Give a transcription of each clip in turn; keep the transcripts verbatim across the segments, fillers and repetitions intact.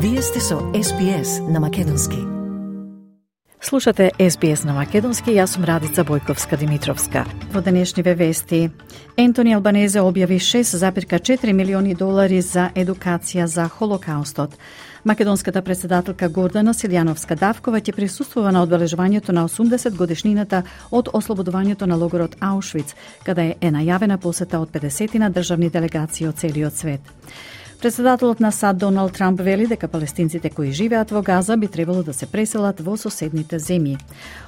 Вие сте со Ес Би Ес на Македонски. Слушате Ес Би Ес на Македонски, јас сум Радица Бојковска-Димитровска. Во денешниве вести, Ентони Албанезе објави шест zarez четири милиони долари за едукација за Холокаустот. Македонската председателка Гордана Силјановска-Давкова ќе присуствува на одбележувањето на осумдесет годишнината од ослободувањето на логорот Аушвиц, каде е најавена посета од педесетина државни делегации од целиот свет. Председателот на САД Доналд Трамп вели дека палестинците кои живеат во Газа би требало да се преселат во соседните земји.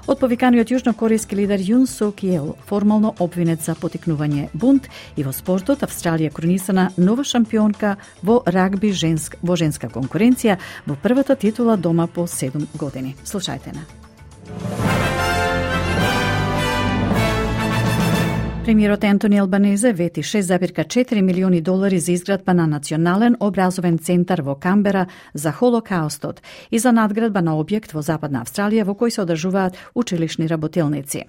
Од повиканиот јужнокорејски лидер Јун Сук Јеол формално обвинет за потикнување бунт, и во спортот Австралија кронисана нова шампионка во рагби женск, во женска конкуренција во првата титула дома по седум години. Слушајте на. Премиерот Ентони Албанезе вети шест zarez четири милиони долари за изградба на национален образовен центар во Камбера за Холокаустот и за надградба на објект во Западна Австралија во кој се одржуваат училишни работелници.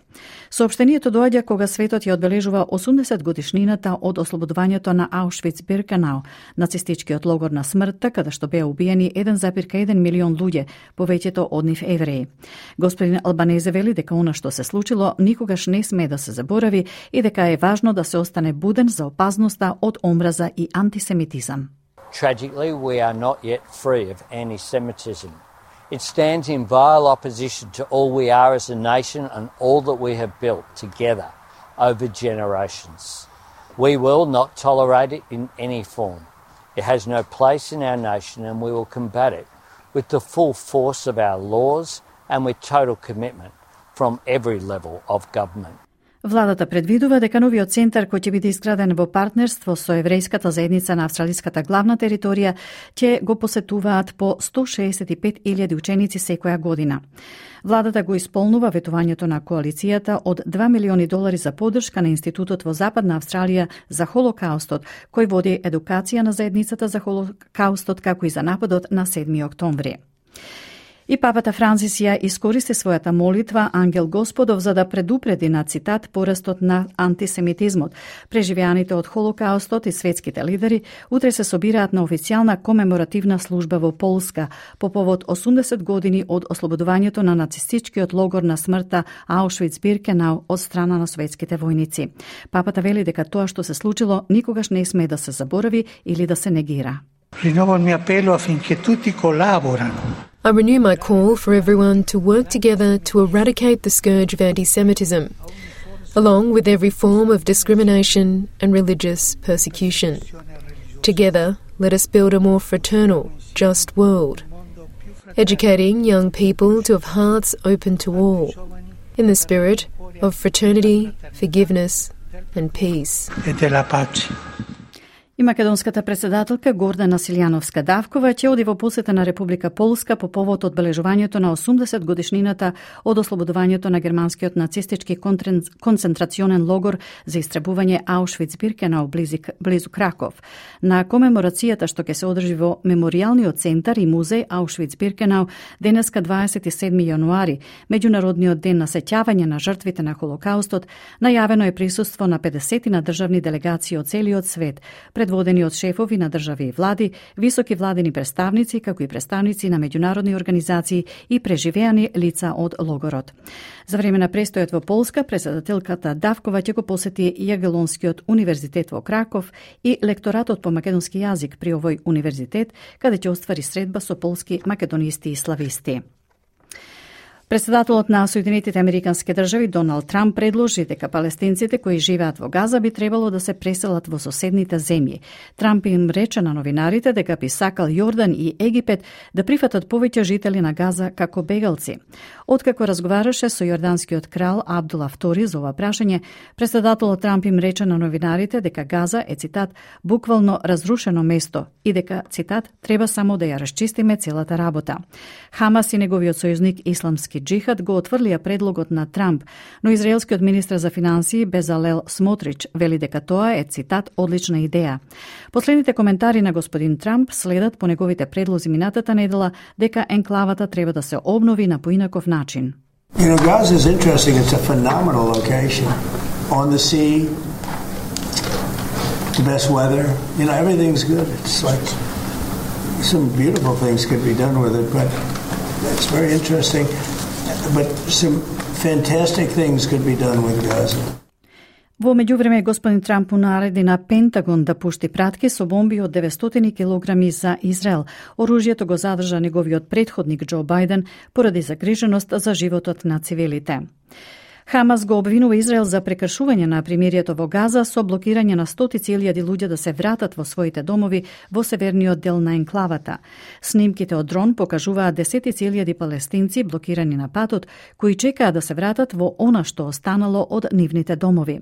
Соопштението доаѓа кога светот ја одбележува осумдесет годишнината од ослободувањето на Аушвиц-Биркенау, нацистичкиот логор на смртта, каде што беа убиени еден zarez еден милион луѓе, повеќето од нив евреи. Господин Албанезе вели дека она што се случило никогаш не сме да се заборави и дека е важно да се остане буден за опасноста од омраза и антисемитизам. Tragically, we are not yet free of anti-Semitism. It stands in vile opposition to all we are as a nation and all that we have built together over generations. We will not tolerate it in any form. It has no place in our nation, and we will combat it with the full force of our laws and with total commitment from every level of government. Владата предвидува дека новиот центар кој ќе биде изграден во партнерство со еврејската заедница на австралиската главна територија ќе го посетуваат по сто шеесет и пет илјади ученици секоја година. Владата го исполнува ветувањето на коалицијата од два милиони долари за поддршка на Институтот во Западна Австралија за Холокаустот, кој води едукација на заедницата за Холокаустот, како и за нападот на седми октомври. И папата Францис ја искористи својата молитва Ангел Господов за да предупреди на цитат порастот на антисемитизмот. Преживеаните од Холокаустот и светските лидери утре се собираат на официјална комеморативна служба во Полска по повод осумдесет години од ослободувањето на нацистичкиот логор на смртта Аушвиц-Биркенау од страна на советските војници. Папата вели дека тоа што се случило никогаш не сме да се заборави или да се негира. Rinnovo il mio appello affinché tutti collaborano. I renew my call for everyone to work together to eradicate the scourge of anti-Semitism, along with every form of discrimination and religious persecution. Together, let us build a more fraternal, just world, educating young people to have hearts open to all, in the spirit of fraternity, forgiveness and peace. E della pace. И македонската председателка Гордана Силјановска-Давкова ќе оди во посета на Република Полска по повод одбележувањето на осумдесет годишнината од ослободувањето на германскиот нацистички концентрационен логор за истребување Аушвиц-Биркенау близу Краков. На комеморацијата што ќе се одржи во Меморијалниот центар и музеј Аушвиц-Биркенау денеска дваесет и седми јануари, меѓународниот ден на сеќавање на жртвите на Холокаустот, најавено е присуство на педесетина државни делегации од целиот свет, предводени од шефови на држави и влади, високи владени представници, како и представници на меѓународни организации и преживеани лица од логорот. За време на престојот во Полска, председателката Давкова ќе го посети Јагелонскиот универзитет во Краков и лекторатот по македонски јазик при овој универзитет, каде ќе оствари средба со полски македонисти и слависти. Председателот на Соединетите Американски држави Доналд Трамп предложи дека палестинците кои живеат во Газа би требало да се преселат во соседните земји. Трамп им рече на новинарите дека би сакал Јордан и Египет да прифатат повеќе жители на Газа како бегалци. Откако разговараше со јорданскиот крал Абдула втори за ова прашање, председателот Трамп им рече на новинарите дека Газа е, цитат, буквално разрушено место и дека, цитат, треба само да ја расчистиме целата работа. Хамас и неговиот сојузник Исламски џихад го отврлија предлогот на Трамп, но израелскиот министер за финансии Безалел Смотрич вели дека тоа е, цитат, одлична идеја. Последните коментари на господин Трамп следат по неговите предлози минатата недела дека енклавата треба да се обнови на поинаков начин. You know, Gaza is interesting. It's a phenomenal location on the sea. The best weather. You know, everything's good. It's like some beautiful things could be done with it, but it's very interesting. But some fantastic things could be done with Gaza. Во меѓувреме, господин Трамп нареди на Пентагон да пушти пратки со бомби од деветстотини килограми за Израел. Оружјето го задржа неговиот претходник Џо Бајден поради загриженост за животот на цивилите. Хамас го обвинува Израел за прекршување на примирието во Газа со блокирање на стотици илјади луѓе да се вратат во своите домови во северниот дел на енклавата. Снимките од дрон покажуваат десетици илјади палестинци блокирани на патот, кои чекаат да се вратат во она што останало од нивните домови.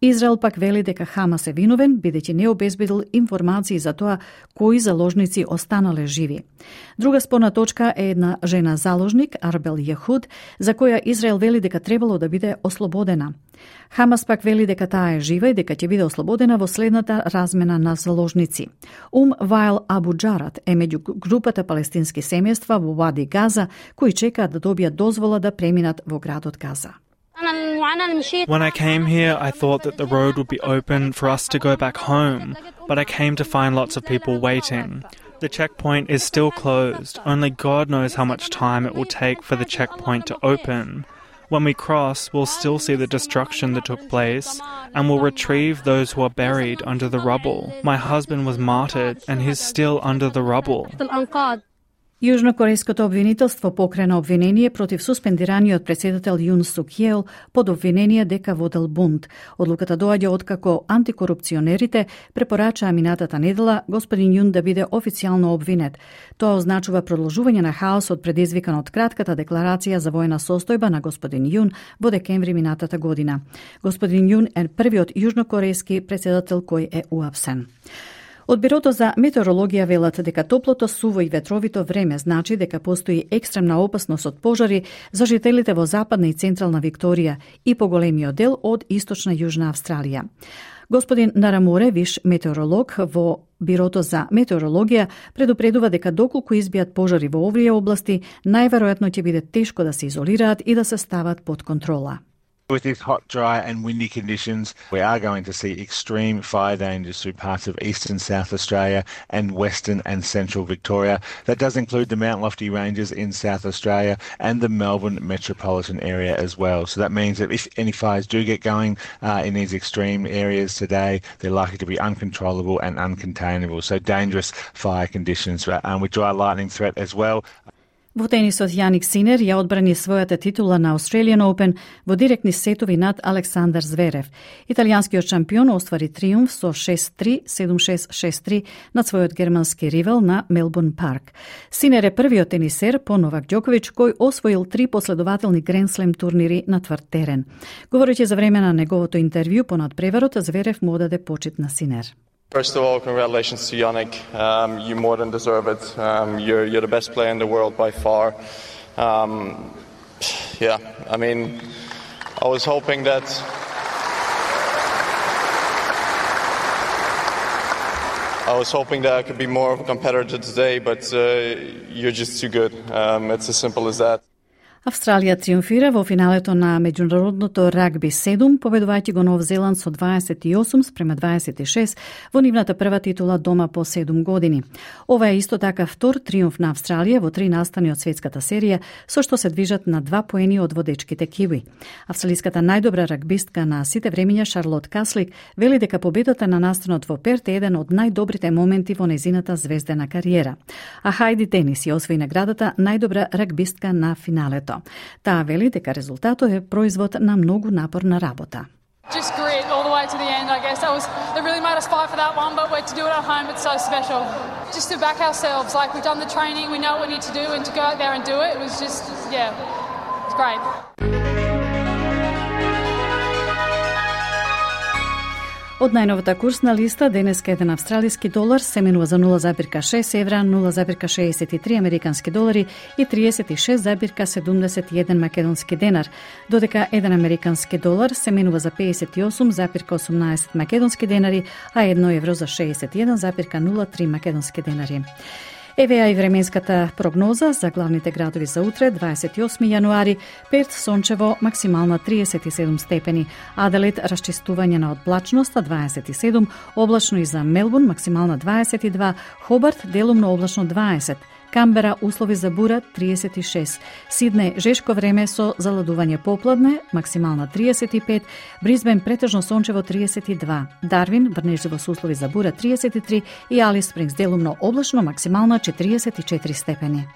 Израел пак вели дека Хамас е виновен, бидејќи не обезбедил информации за тоа кои заложници останале живи. Друга спорна точка е една жена заложник, Арбел Јехуд, за која Израел вели дека требало да биде ослободена. Хамас пак вели дека таа е жива и дека ќе биде ослободена во следната размена на заложници. Ум Вайл Абу Џарат е меѓу групата палестински семејства во Вади Газа, кои чекаат да добијат дозвола да преминат во градот Газа. When I came here, I thought that the road would be open for us to go back home, but I came to find lots of people waiting. The checkpoint is still closed. Only God knows how much time it will take for the checkpoint to open. When we cross, we'll still see the destruction that took place, and we'll retrieve those who are buried under the rubble. My husband was martyred, and he's still under the rubble. Јужнокорејското обвинителство покрена обвинение против суспендираниот председател Јун Сук Јеол под обвинение дека водел бунт. Одлуката доаѓа откако антикорупционерите препорачаа минатата недела господин Јун да биде официјално обвинет. Тоа означува продолжување на хаосот предизвикан од кратката декларација за војна состојба на господин Јун во декември минатата година. Господин Јун е првиот јужнокорејски председател кој е уапсен. Од Бирото за метеорологија велат дека топлото, суво и ветровито време значи дека постои екстремна опасност од пожари за жителите во западна и централна Викторија и поголемиот дел од источна Јужна Австралија. Господин Нараморе, виш метеоролог во Бирото за метеорологија, предупредува дека доколку избијат пожари во овие области, најверојатно ќе биде тешко да се изолираат и да се стават под контрола. With these hot, dry and windy conditions, we are going to see extreme fire dangers through parts of eastern South Australia and western and central Victoria. That does include the Mount Lofty Ranges in South Australia and the Melbourne metropolitan area as well. So that means that if any fires do get going uh, in these extreme areas today, they're likely to be uncontrollable and uncontainable. So dangerous fire conditions um, with dry lightning threat as well. Во тенисот Јаник Синер ја одбрани својата титула на Australian Open во директни сетови над Александар Зверев. Италијанскиот шампион оствари триумф со шест три, седум шест, шест три над својот германски ривал на Мелбурн Парк. Синер е првиот тенисер по Новак Ѓоковиќ кој освоил три последователни Гренслем турнири на тврд терен. Говорејќи за време на неговото интервју понад преварот, Зверев му даде почит на Синер. First of all, congratulations to Yannick. Um, you more than deserve it. Um, you're, you're the best player in the world by far. Um, yeah, I mean, I was hoping that I was hoping that I could be more of a competitor today, but uh, you're just too good. Um, it's as simple as that. Австралија триумфира во финалето на меѓународното рагби седум, победувајќи го Нов Зеланд со дваесет и осум спрема дваесет и шест во нивната прва титула дома по седум години. Ова е исто така втор триумф на Австралија во три настани од светската серија, со што се движат на два поени од водечките киви. Австралиската најдобра рагбистка на сите времиња Шарлот Каслик вели дека победата на настанот во Перт е еден од најдобрите моменти во незината звездена кариера. А Хајди Тенис ја освои наградата најдобра рагбистка на финалето. Таа вели дека резултатот е производ на многу напорна работа. Just grit all the way to the end, I guess. That was that really made us fight for that one, but we're to do it at home, it's so special. Just to back ourselves, like we've done the training, we know what we need to do, and to go out there and do it, it was just, yeah, it's great. Од најновата курсна листа, денеска еден австралиски долар се менува за нула зарка шест евра, нула зарка шеесет и три американски долари и триесет и шест зарка седумдесет и еден македонски денар, додека еден американски долар се менува за пеесет и осум зарка осумнаесет македонски денари, а едно евро за шеесет и еден зарка нула три македонски денари. Еве ја и временската прогноза за главните градови за утре, дваесет и осми јануари, Перт сончево, максимална триесет и седум степени, Аделаид расчистување на одблачноста дваесет и седум, облачно и за Мелбурн максимална дваесет и два, Хобарт делумно облачно дваесет, Камбера услови за бура триесет и шест, Сиднеј жешко време со заладување попладне, максимална триесет и пет, Брисбен претежно сончево триесет и два, Дарвин врнежливо со услови за бура триесет и три и Алис Спрингс делумно облачно, максимална четириесет и четири степени.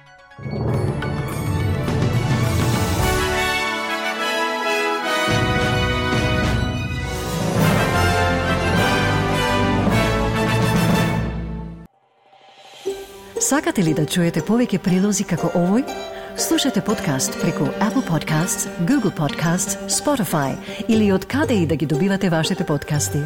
Сакате ли да чуете повеќе прилози како овој? Слушате подкаст преку Apple Podcasts, Google Podcasts, Spotify или од каде и да ги добивате вашите подкасти.